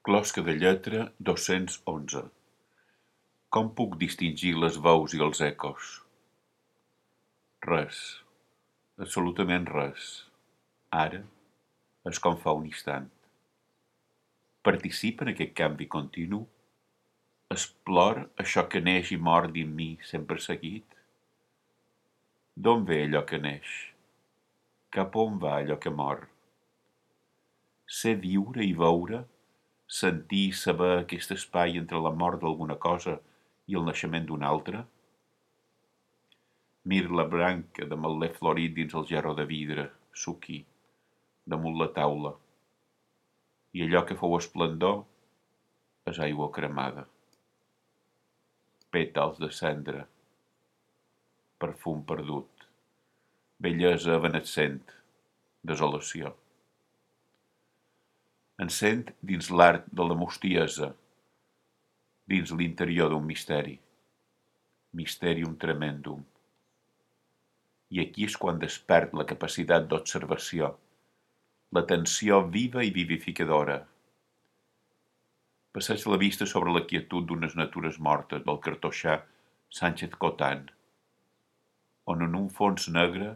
Closca de lletra 211. Com puc distingir les veus i els ecos? Res, absolutament res. Ara és com fa un instant. Participa en aquest canvi continu? Explor això que neix i mor dins mi sempre seguit? D'on ve allò que neix? Cap on va allò que mor? Sé viure i veure, sentir i saber aquest espai entre la mort d'alguna cosa i el naixement d'una altra? Mir la branca de metler florit dins el gerro de vidre, suqui, damunt la taula. I allò que fou esplendor és aigua cremada. Pètals de cendra, perfum perdut, bellesa evanescent, desolació. Encén dins l'art de la mostiesa, dins l'interior d'un misteri, mysterium tremendum. I aquí és quan despert la capacitat d'observació, l'atenció viva i vivificadora. Passeig la vista sobre la quietud d'unes natures mortes del cartoixà Sánchez Cotán, on en un fons negre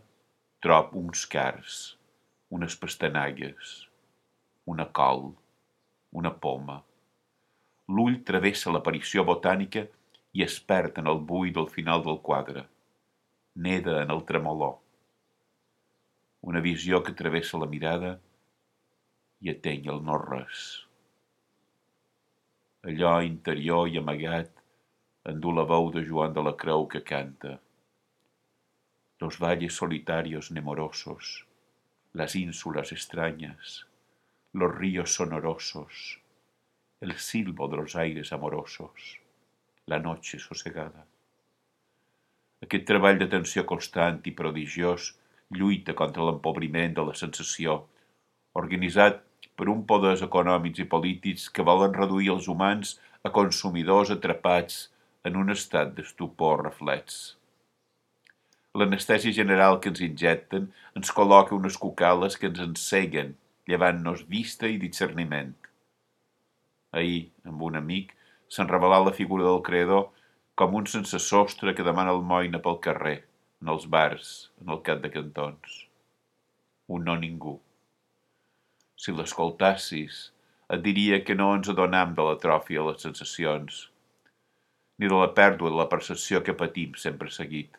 trob uns cars, unes pastanagues, una col, una poma. L'ull travessa l'aparició botànica i es perd en el buit del final del quadre. Neda en el tremolor. Una visió que travessa la mirada i ateny el no-res. Allò interior i amagat endú la veu de Joan de la Creu que canta. Los valles solitarios nemorosos, las ínsulas extrañas, los ríos sonorosos, el silbo de los aires amorosos, la noche sosegada. Aquest treball d'atenció constant i prodigiós lluita contra l'empobriment de la sensació, organitzat per un poders econòmics i polítics que volen reduir els humans a consumidors atrapats en un estat d'estupor reflex. L'anestèsia general que ens injecten ens col·loca unes cucales que ens enceguen, llevant-nos vista i discerniment. Ahir, amb un amic, se'n revelà la figura del creador com un sense sostre que demana almoina pel carrer, en els bars, en el cap de cantons. Un no ningú. Si l'escoltassis, et diria que no ens adonam de l'atròfia de les sensacions, ni de la pèrdua de la percepció que patim sempre seguit,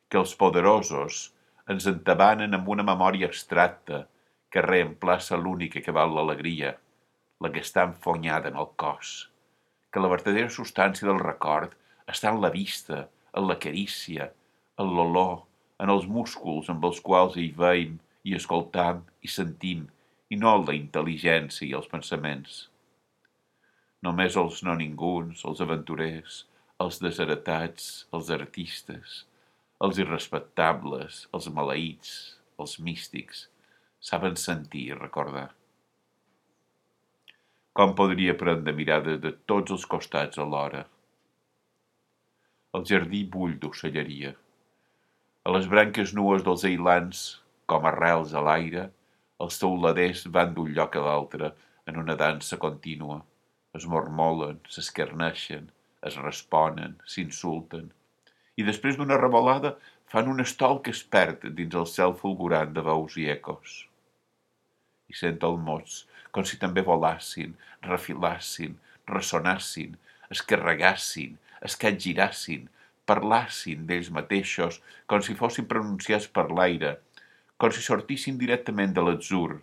que els poderosos ens entabanen amb una memòria abstracta que reemplaça l'única que val l'alegria, la que està enfonyada en el cos, que la vertadera substància del record està en la vista, en la carícia, en l'olor, en els músculs amb els quals hi veiem i escoltam i sentim, i no en la intel·ligència i els pensaments. Només els no ninguns, els aventurers, els desheretats, els artistes, els irrespectables, els maleïts, els místics, saben sentir i recordar. Com podria prendre mirades de tots els costats alhora? El jardí bull d'ocelleria. A les branques nues dels ailans, com arrels a l'aire, els teuladers van d'un lloc a l'altre en una dansa contínua. Es mormolen, s'escarneixen, es responen, s'insulten. I després d'una revolada fan un estol que es perd dins el cel fulgurant de veus i ecos. I sent el mots, com si també volassin, refilassin, ressonassin, es carregassin, es capgirassin, parlassin d'ells mateixos, com si fossin pronunciats per l'aire, com si sortissin directament de l'atzur,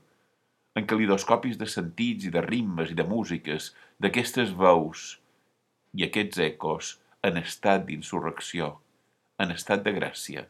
en calidoscopis de sentits i de ritmes i de músiques, d'aquestes veus i aquests ecos en estat d'insurrecció, en estat de gràcia.